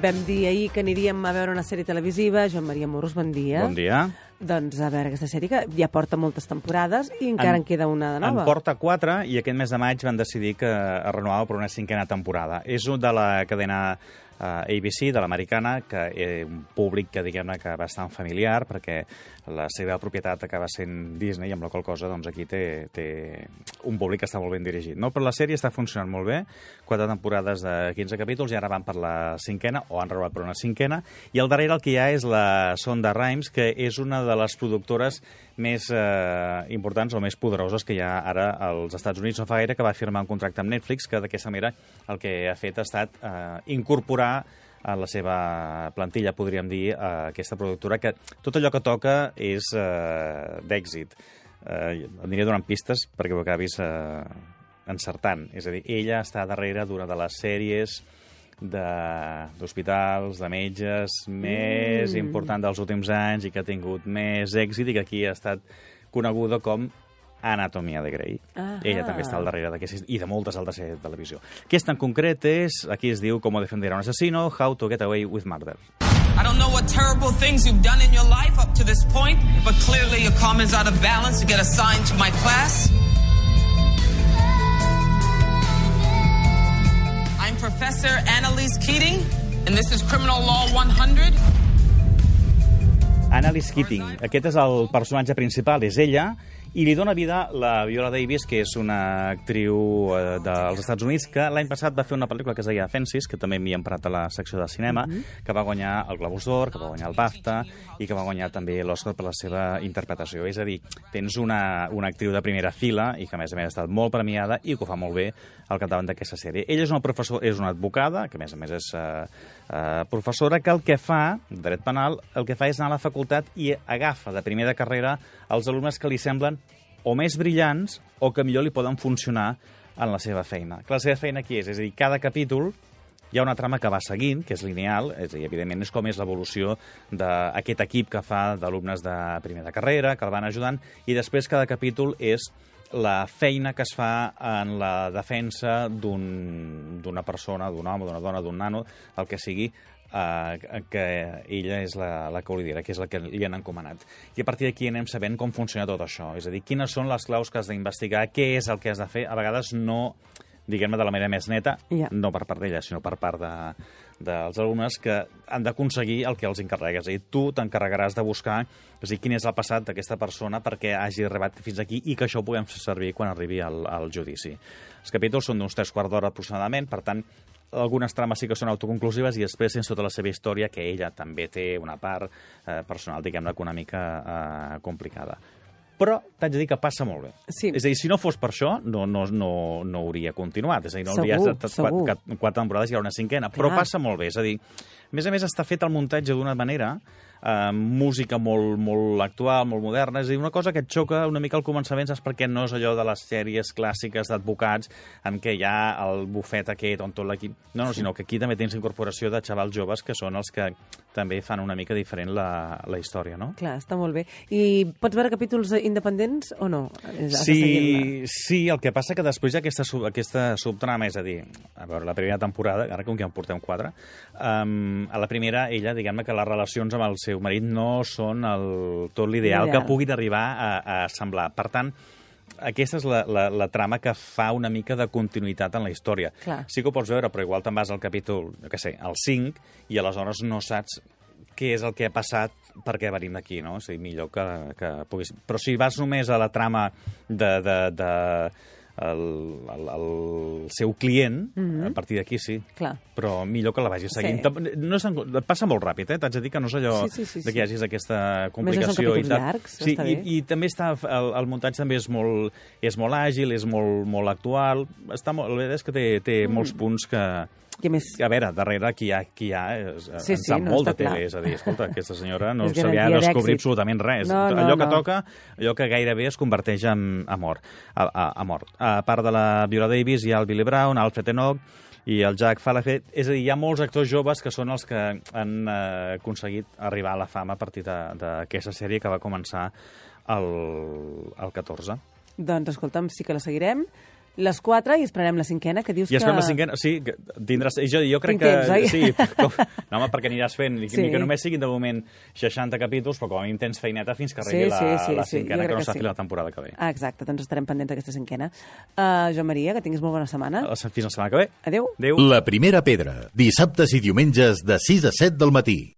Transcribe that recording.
Vam dir ahir que aniríem a veure una sèrie televisiva. Joan Maria Morros, bon dia. Bon dia. Doncs a veure aquesta sèrie que ja porta moltes temporades i encara en queda una de nova. En porta 4 i aquest mes de maig van decidir que es renovava per una 5a temporada. És de la cadena ABC, de l'americana, que un públic que diguem-ne que bastant familiar, perquè la seva propietat acaba sent Disney, amb la qual cosa doncs, aquí té un públic que està molt ben dirigit. No? Però la sèrie està funcionant molt bé, 4 temporades de 15 capítols, i ara van per la 5a, o han renovat per una 5a, i al darrere el que hi ha és la Shonda Rhimes, que és una de les productores més importants o més poderoses que hi ha ara als Estats Units. No fa gaire que va firmar un contracte amb Netflix, que d'aquesta manera el que ha fet ha estat incorporar a la seva plantilla, podríem dir, aquesta productora, que tot allò que toca és d'èxit. Aniré donant pistes perquè ho acabis encertant. És a dir, ella està darrere d'una de les sèries d'hospitals, de metges, més important dels últims anys i que ha tingut més èxit i que aquí ha estat coneguda com Anatomia de Grey. Ella també està al darrere d'aquestes i de moltes altres sèries de televisió. Aquesta en concret és, aquí es diu Cómo defender a un asesino, How to get away with murder. I don't know what terrible things you've done in your life up to this point, but clearly your karma's out of balance to get assigned to my class. I'm Professor Annalise Keating, and this is Criminal Law 100. Annalise Keating. Aquest és el personatge principal, és ella, i li dona vida la Viola Davis, que és una actriu dels Estats Units, que l'any passat va fer una pel·lícula que es deia Fences, que també m'hi he emprat a la secció de cinema, que va guanyar el Globus d'Or, que va guanyar el BAFTA, i que va guanyar també l'Oscar per la seva interpretació. És a dir, tens una actriu de primera fila, i que a més ha estat molt premiada, i que ho fa molt bé al capdavant d'aquesta sèrie. Ella és una advocada, que a més és professora, que el que fa, dret penal, el que fa és anar a la facultat i agafa de primer de carrera els alumnes que li semblen o més brillants o que millor li poden funcionar en la seva feina. La seva feina aquí és a dir, cada capítol hi ha una trama que va seguint, que és lineal, és a dir, evidentment és com és l'evolució d'aquest equip que fa d'alumnes de primer de carrera, que el van ajudant, i després cada capítol és la feina que es fa en la defensa d'una persona, d'un home, d'una dona, d'un nano, el que sigui, que ella és la que ho lidera, que és la que li han encomanat. I a partir d'aquí anem sabent com funciona tot això. És a dir, quines són les claus que has d'investigar, què és el que has de fer. A vegades no, diguem-ne, de la manera més neta, no per part d'ella, sinó per part dels alumnes que han d'aconseguir el que els encarregues. És a dir, tu t'encarregaràs de buscar quin és el passat d'aquesta persona perquè hagi arribat fins aquí i que això ho puguem fer servir quan arribi al judici. Els capítols són d'uns 3/4 d'hora aproximadament, per tant, algunes trames sí que són autoconclusives i després tens tota la seva història, que ella també té una part personal, diguem-ne, una mica complicada. Però t'haig de dir que passa molt bé. Sí. És a dir, si no fos per això, no hauria continuat. És a dir, no hauria estat 4 temporades i ara una 5a. Però passa molt bé. És a dir, a més està fet el muntatge d'una manera, música molt actual, molt moderna. És a dir, una cosa que et xoca una mica al començament, saps per què no és allò de les sèries clàssiques d'advocats en què hi ha el bufet aquest on tot l'equip... No, sinó que aquí també tens incorporació de xavals joves que són els que també fan una mica diferent la història, no? Clar, està molt bé. I pots veure capítols independents o no? Sí, el que passa que després hi ha aquesta subtrama, és a dir, a veure, la primera temporada, ara com que en portem 4, a la primera, ella, diguem-ne que les relacions amb el seu marit no són tot l'ideal que puguin arribar a semblar. Per tant, aquesta és la trama que fa una mica de continuïtat en la història. Clar. Sí que ho pots veure, però igual te'n vas al capítol, al 5, i aleshores no saps què és el que ha passat, per què venim d'aquí, no? És a dir, millor que puguis... Però si vas només a la trama el seu client, a partir d'aquí sí. Clar. Però millor que la vagis seguint. Sí. Passa molt ràpid, t'haig de dir que no és allò que hi hagis aquesta complicació. Més són llargs, sí, està bé. I també el muntatge també és molt àgil, és molt actual. La veritat és que té molts punts que... A veure, darrere qui hi ha en sap molt de tele, és a dir, escolta, aquesta senyora no se li ha de descobrir absolutament res. Allò que toca, allò que gairebé es converteix en mort. A part de la Viola Davis hi ha el Billy Brown, Alfred Enoch i el Jack Falahet. És a dir, hi ha molts actors joves que són els que han aconseguit arribar a la fama a partir d'aquesta sèrie que va començar el 14. Doncs, escolta'm, sí que la seguirem. les 4 i esperarem la 5ª, que dius I esperem que... la 5ª, sí, que tindràs... Jo crec Tinc que... temps, oi? Sí, no, home, perquè aniràs fent, ni que només siguin de moment 60 capítols, però com a mínim tens feineta fins que arribi la 5ª, que no s'ha fet la temporada que ve. Exacte, doncs estarem pendents d'aquesta 5ª. Joan Maria, que tinguis molt bona setmana. Fins la setmana que ve. Adéu. Adéu. La primera pedra, dissabtes i diumenges de 6 a 7 del matí.